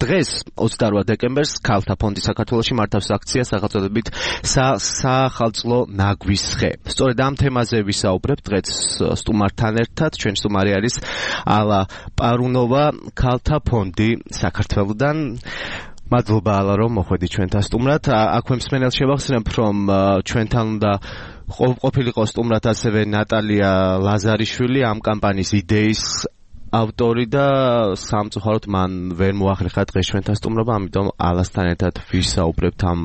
დღეს 28 დეკემბერს ქალთა ფონდი საქართველოში მართავს აქციას სახელწოდებით სახალწლო ნაგვის ხე. სწორედ ამ თემაზე ვისაუბრებთ დღეს სტუმართან ერთად. ჩვენი სტუმარი არის ალა პარუნოვა, ქალთა ფონდი საქართველოდან. მადლობა ალა, რომ მოხვედი ჩვენთან სტუმრად. აქვე მსმენელს შევახსენებ, რომ ჩვენთან უნდა ყოფილიყო სტუმრად ასევე ნატალია ლაზარიშვილი, ამ კამპანიის იდეის ავტორი და სამწუხაროდ მან ვერ მოახერხა დღეს ჩვენთან სტუმრობა, ამიტომ ალასთან ერთად ვისაუბრებთ ამ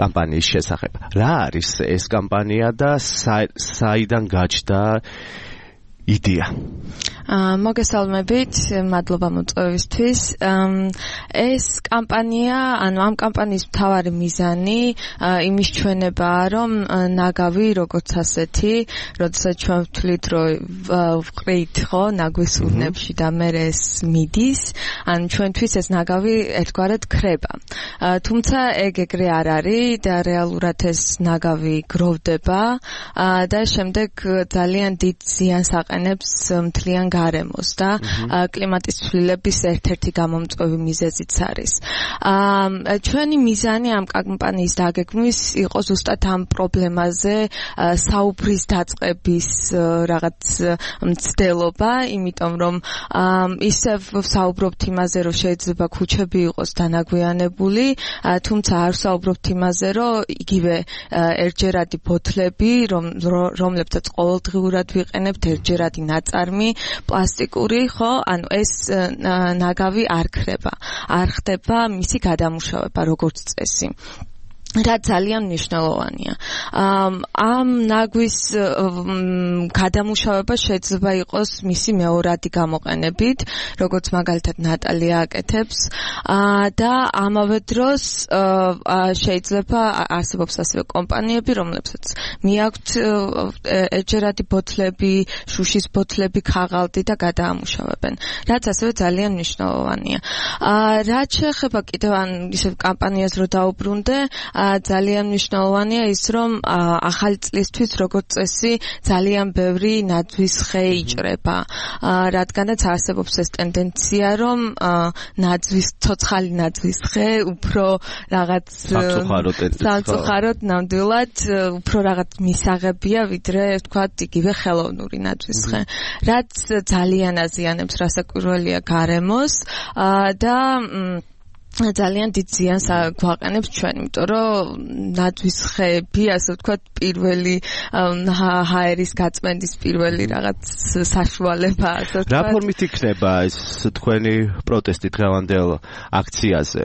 კამპანიის შესახებ. რა არის ეს კამპანია და საიდან გაჩნდა იდეა? მოგესალმებით, მადლობა მოწვევისთვის. ეს კამპანია, ამ კამპანიის მთავარი მიზანი იმის ჩვენებაა, რომ ნაგავი როგორც ასეთი, როდესაც ჩვენ ვთვლით, რომ ვყრით ხო ნაგვის ურნებში და მე ეს მიდის, ან ჩვენთვის ეს ნაგავი ერთგვარად ქრება. თუმცა ეგრე არ არის და რეალურად ეს ნაგავი გროვდება და შემდეგ ძალიან დიდ ზიანს აყენებს მთლიან გარემოს და კლიმატის ცვლილების ერთ-ერთი გამომწვევი მიზეზიც არის. ჩვენი მიზანი ამ კამპანიის დაგეგმვის იყო ზუსტად ამ პრობლემაზე საუბრის დაწყების რაღაც მცდელობა, იმიტომ რომ ისევ ვსაუბრობთ იმაზე, რომ შეიძლება ქუჩები იყოს დანაგვიანებული, თუმცა არ ვსაუბრობთ იმაზე, რომ იგივე ერთჯერადი ბოთლები, რომლებსაც ყოველდღიურად ვიყენებთ, ერთჯერადი ნაწარმი პლასტიკური, ხო, ანუ ეს ნაგავი არ ქრება, არ ხდება მისი გადამუშავება როგორც წესი. რა ძალიან მნიშვნელოვანია. ამ ნაგვის გადამუშავება შეიძლება იყოს მისი მეორადი გამოყენებით, როგორც მაგალითად ნატალია აკეთებს და ამავე დროს შეიძლება არსებობს ასევე კომპანიები, რომლებსაც მიაქვთ ერთჯერადი ბოთლები, შუშის ბოთლები, ქაღალდი და გადაამუშავებენ, რაც ასევე ძალიან მნიშვნელოვანია. რაც შეეხება კიდევ ან ისე კამპანიას რო დაუბრუნდე, ძალიან მნიშვნელოვანია ის, რომ ახალი წლისთვის როგორც წესი ძალიან ბევრი ნაძვის ხე იჭრება, რადგანაც არსებობს ეს ტენდენცია, რომ ცოცხალი ნაძვის ხე უფრო რაღაც სამწუხაროდ ნამდვილად უფრო რაღაც მისაღებია, ვიდრე ვთქვათ იგივე ხელოვნური ნაძვის ხე, რაც ძალიან აზიანებს რასაკვირველია გარემოს და ძალიან დიდ ზიანს გვაყენებს ჩვენ, იმიტომ რომ ნაძვის ხეები, ასე ვთქვათ, პირველი ჰაერის გაწმენდის პირველი რაღაც საშუალება, ასე ვთქვათ. რა ფორმით იქნება ეს თქვენი პროტესტი დღევანდელ აქციაზე?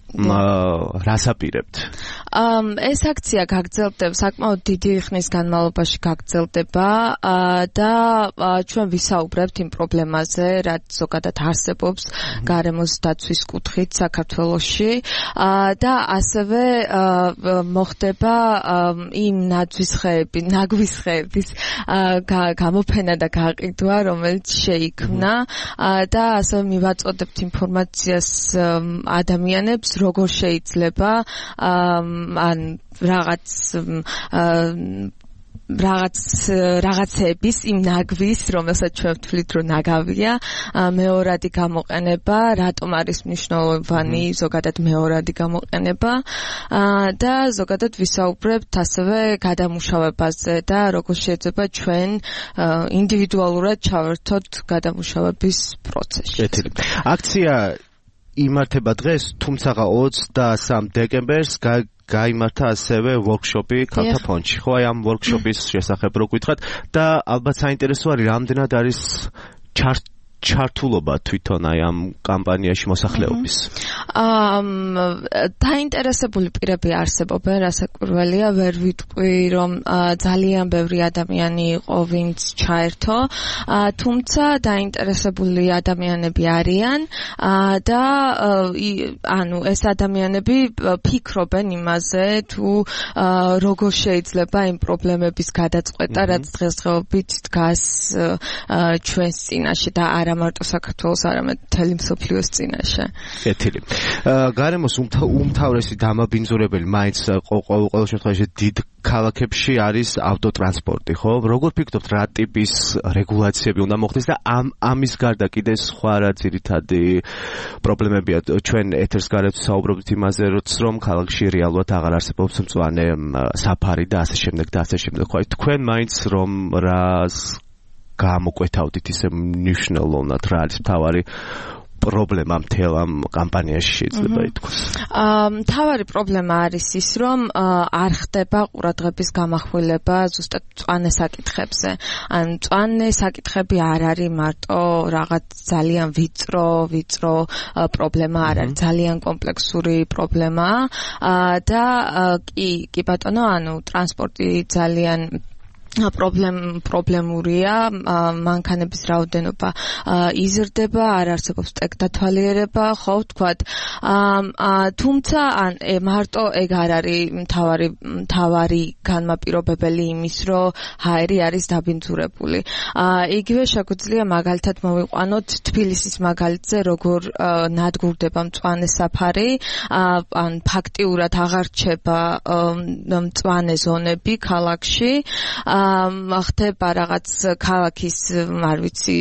რას აპირებთ? ეს აქცია გაგრძელდება საკმაოდ დიდი ხნის განმავლობაში გაგრძელდება და ჩვენ ვისაუბრებთ იმ პრობლემაზე, რაც ზოგადად არსებობს გარემოს დაცვის კუთხით საქართველოში და ასევე მოხდება იმ ნაგვის ხეების გამოფენა და გაყიდვა, რომელიც შეიქმნა და ასევე მივაწოდებთ ინფორმაციას ადამიანებს, როგორ შეიძლება ან რაღაცების იმ ნაგვის, რომელსაც ჩვენ ვთვლით, რომ ნაგავია, მეორადი გამოყენება, რატომ არის მნიშვნელოვანი ზოგადად მეორადი გამოყენება და ზოგადად ვისაუბრებთ ასევე გადამუშავებაზე და როგორ შეიძლება ჩვენ ინდივიდუალურად ჩავერთოთ გადამუშავების პროცესში. აქცია იმართება დღეს, თუმცა 23 დეკემბერს გაიმართა ასევე ვორქშოპი ქალთა ფონდში. ხო, აი ამ ვორქშოპის შესახებ რო გითხრათ და ალბათ საინტერესო არის, რამდენად არის ჩართულობა თვითონ აი ამ კამპანიაში მოსახლეობის. დაინტერესებული პირები არსებობენ, რასაკვირველია, ვერ ვიტყვი, რომ ძალიან ბევრი ადამიანი იყო, ვინც ჩაერთო, თუმცა დაინტერესებული ადამიანები არიან და ანუ ეს ადამიანები ფიქრობენ იმაზე, თუ როგორ შეიძლება იმ პრობლემების გადაწყვეტა, რაც დღესდღეობით დგას ჩვენს წინაშე და არა მარტო საქართველოს, არამედ მთელი მსოფლიოს წინაშე. კეთილი. გარემოს უმთავრესი დამაბინძურებელი მაინც ყოველ შემთხვევაში დიდ ქალაქებში არის ავტოტრანსპორტი, ხო? Როგორ ფიქრობთ, რა ტიპის რეგულაციები უნდა მოხდეს და ამის გარდა კიდე სხვა რა ძირითადი პრობლემებია? ჩვენ ეთერს გარეთ საუბრობთ იმაზე, რომ ქალაქში რეალურად აღარ არსებობს მწვანე საფარი და ასე შემდეგ და ასე შემდეგ. ხო, თქვენ მაინც რომ რას გამოკვეთავდით ისე მნიშვნელოვნად, რა არის მთავარი პრობლემა მთელ ამ კამპანიაში შეიძლება ითქვას. მთავარი პრობლემა არის ის, რომ არ ხდება ყურადღების გამახვილება ზუსტად მწვანე საკითხებზე. ან მწვანე საკითხები არ არის მარტო რაღაც ძალიან ვიწრო პრობლემა, არ არის ძალიან კომპლექსური პრობლემა და კი ბატონო, ანუ ტრანსპორტი ძალიან პრობლემურია, მანქანების რაოდენობა იზრდება, არ არსებობს ტექდათვალიერება, ხო ვთქვათ. თუმცა მარტო ეგ არ არის მთავარი განმაპირობებელი იმის, რომ ჰაერი არის დაბინძურებული. იგივე შეგვიძლია მაგალითად მოვიყვანოთ თბილისის მაგალითზე, როგორ ნადგურდება მწვანე საფარი, ან ფაქტიურად აღარ რჩება მწვანე ზონები ქალაქში. ხდება რაღაც ქალაქის, არ ვიცი,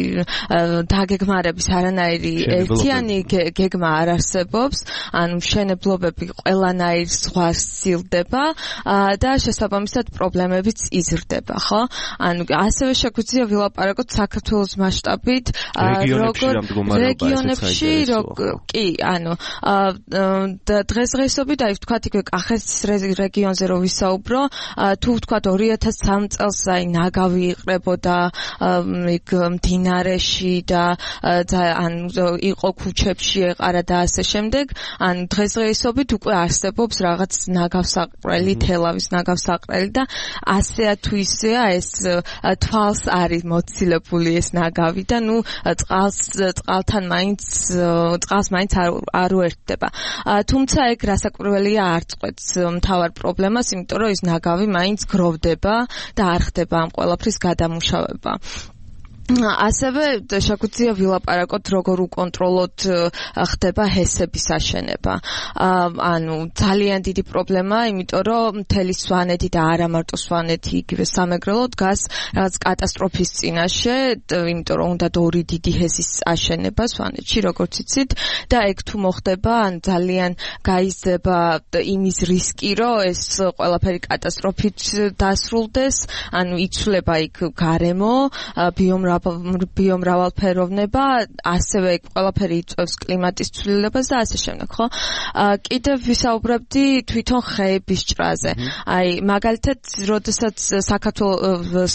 დაგეგმარების არანაირი ერთიანი გეგმა არ არსებობს, ანუ მშენებლობები ყველანაირ ზღვარს სცილდება და შესაბამისად პრობლემებიც იზრდება, ხო? ანუ ასევე შეგვიძლია ვილაპარაკოთ საქართველოს მასშტაბით, რეგიონებში, კი, ანუ დღესდღეობით, აი ვთქვათ, იქ კახეთის რეგიონზე რო ვისაუბრო, თუ ვთქვათ 2003 წელს აი ნაგავი იყრებოდა იქ მდინარეში და ან იყო ქუჩებში ეყარა და ასე შემდეგ, ან დღესდღეობით უკვე არსებობს რაღაც ნაგავსაყრელი, თელავის ნაგავსაყრელი და ასეა თუ ისეა ეს თვალს არის მოცილებული ეს ნაგავი და ნუ წყალს მაინც არ უერთდება. თუმცა ეგ რასაკვირველია არ წყვეტს მთავარ პრობლემას, იმიტომ რომ ეს ნაგავი მაინც გროვდება და არ ხდება ამ ყველაფრის გადამუშავება. ასევე შეგვიძლია ვილაპარაკოთ, როგორ უკონტროლოდ ხდება ჰესების აშენება. ანუ ძალიან დიდი პრობლემაა, იმიტომ რომ მთელი სვანეთი და არა მარტო სვანეთი, იგივე სამეგრელო დგას რაღაც კატასტროფის წინაშე, იმიტომ რომ უნდა ორი დიდი ჰესის აშენება სვანეთში, როგორც იცით, და ეგ თუ მოხდება, ან ძალიან გაიზრდება იმის რისკი, რომ ეს ყველაფერი კატასტროფით დასრულდეს, ანუ იცვლება იქ გარემო, ბიომრავალფეროვნება, ასევე ყველაფერი იწვევს კლიმატის ცვლილებას და ასე შემდეგ, ხო? კიდევ ვისაუბრებდი თვითონ ხეების ჭრაზე. აი, მაგალითად, როდესაც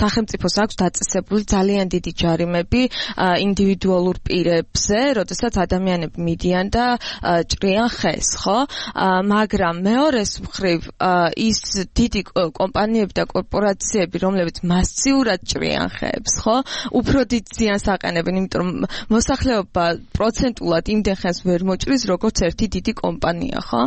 სახელმწიფოს აქვს დაწესებული ძალიან დიდი ჯარიმები ინდივიდუალურ პირებზე, როდესაც ადამიანები მიდიან და ჭრიან ხეს, ხო? მაგრამ მეორეს მხრივ ის დიდი კომპანიები და კორპორაციები, რომლებიც მასიურად ჭრიან ხეებს, ხო? უფრო დიდ ზიანს აყენებენ, იმიტომ რომ მოსახლეობა პროცენტულად იმდენ ხანს ვერ მოჭრის, როგორც ერთი დიდი კომპანია, ხო?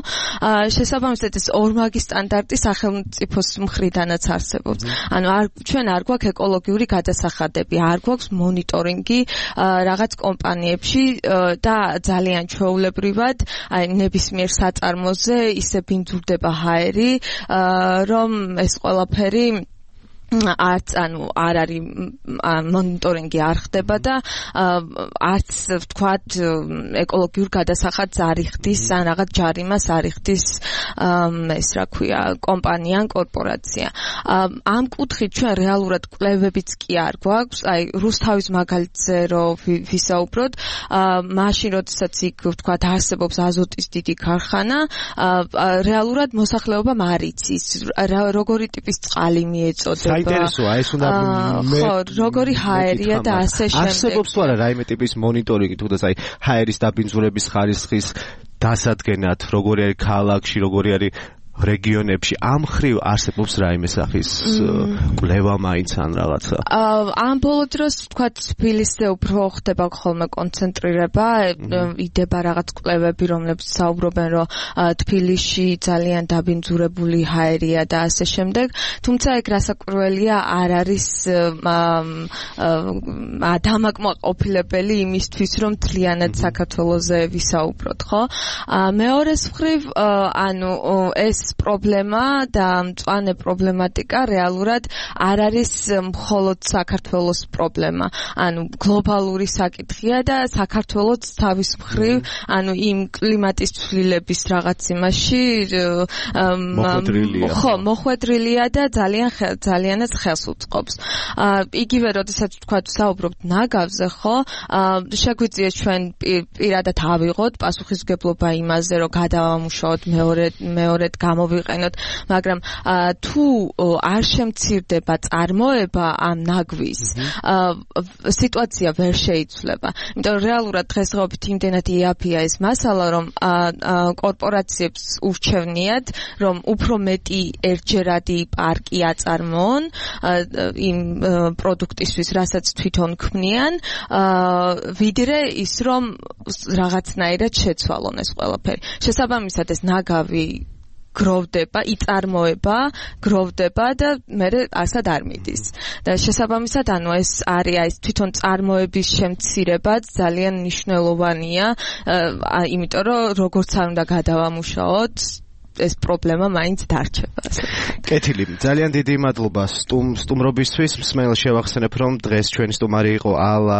შესაბამისად ეს ორმაგი სტანდარტი სახელმწიფოს მხრიდანაც არსებობს. ანუ ჩვენ არ გვაქვს ეკოლოგიური გადასახადები, არ გვაქვს მონიტორინგი რაღაც კომპანიებში და ძალიან ჩვეულებრივად, აი ნებისმიერ საწარმოზე ისე ბინძურდება ჰაერი, რომ ეს ყველაფერი არც არ არის მონიტორინგი არ ხდება და არც ვთქვათ ეკოლოგიურ გადასახადს არ იხდის ან რაღაც ჯარიმას არ იხდის ეს რა ქვია კომპანია ან კორპორაცია. ამ კუთხით ჩვენ რეალურად კვლევებიც კი არ გვაქვს, აი რუსთავის მაგალითზე რო ვისაუბროთ, მაშინ როდესაც იქ ვთქვათ არსებობს აზოტის დიდი ქარხანა, რეალურად მოსახლეობამ არ იცის როგორი ტიპის წყალი მიეწოდება. საინტერესოა ეს უნდა როგორი ჰაერია და ასე შემდეგ. არსებობს თუ არა რაიმე ტიპის მონიტორინგი თუნდაც აი ჰაერის დაბინძურების ხარისხის დასადგენად, როგორი არის ქალაქში, როგორი არის რეგიონებში ამ ხრივ არსებობს რაიმე სახის კვლევა მაინც ან რაღაცა? ამ ბოლო დროს თქვა თბილისზე უფრო ხდება ხოლმე კონცენტრირება, იდება რაღაც კვლევები, რომლებიც საუბრობენ, რომ თბილისში ძალიან დაბინძურებული ჰაერია და ასე შემდეგ. თუმცა ეგ რასაკვირველია არ არის დამაკმაყოფილებელი იმისთვის, რომ თლიანად საქართველოზე ვისაუბროთ, ხო? მეორეს მხრივ, ანუ ეს პრობლემა და მწვანე პრობლემატიკა რეალურად არ არის მხოლოდ საქართველოს პრობლემა. ანუ გლობალური საკითხია და საქართველოც თავის მხრივ, ანუ იმ კლიმატის ცვლილების რაღაც იმაში მოხვედრილია და ძალიანაც ხელს უწყობს. იგივე, როდესაც თქვა საუბრობთ ნაგავზე, ხო? შეგვიძლია ჩვენ პირადად ავიღოთ პასუხისმგებლობა იმაზე, რომ გადავამუშაოთ მეორედ გამოვიყენოთ, მაგრამ თუ არ შემცირდება წარმოება ამ ნაგვის, სიტუაცია ვერ შეიცვლება. იმიტომ რომ რეალურად დღესდღეობით იმდენად იაფია ეს მასალა, რომ კორპორაციებს ურჩევნიათ, რომ უფრო მეტი ერთჯერადი პარკი აწარმოონ იმ პროდუქტისთვის, რასაც თვითონ ქმნიან, ვიდრე ის, რომ რაღაცნაირად შეცვალონ ეს ყველაფერი. შესაბამისად ეს ნაგავი გროვდება, იწარმოება, გროვდება და მერე არსად არ მიდის. და შესაბამისად, ანუ ეს არის თვითონ წარმოების შემცირებაც ძალიან მნიშვნელოვანია, იმიტომ რომ როგორც არ უნდა გადავამუშაოთ, ეს პრობლემა მაინც დარჩება. კეთილი, ძალიან დიდი მადლობა სტუმრობისთვის. მსმენელს შევახსენებ, რომ დღეს ჩვენი სტუმარი იყო ალა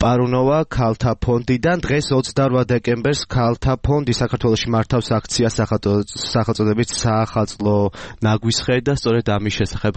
პარუნოვა ქალთა ფონდიდან. დღეს 28 დეკემბერს ქალთა ფონდი საქართველოში მართავს აქციას სახელწოდებით საახალწლო ნაგვის ხე და სწორედ ამის შესახებ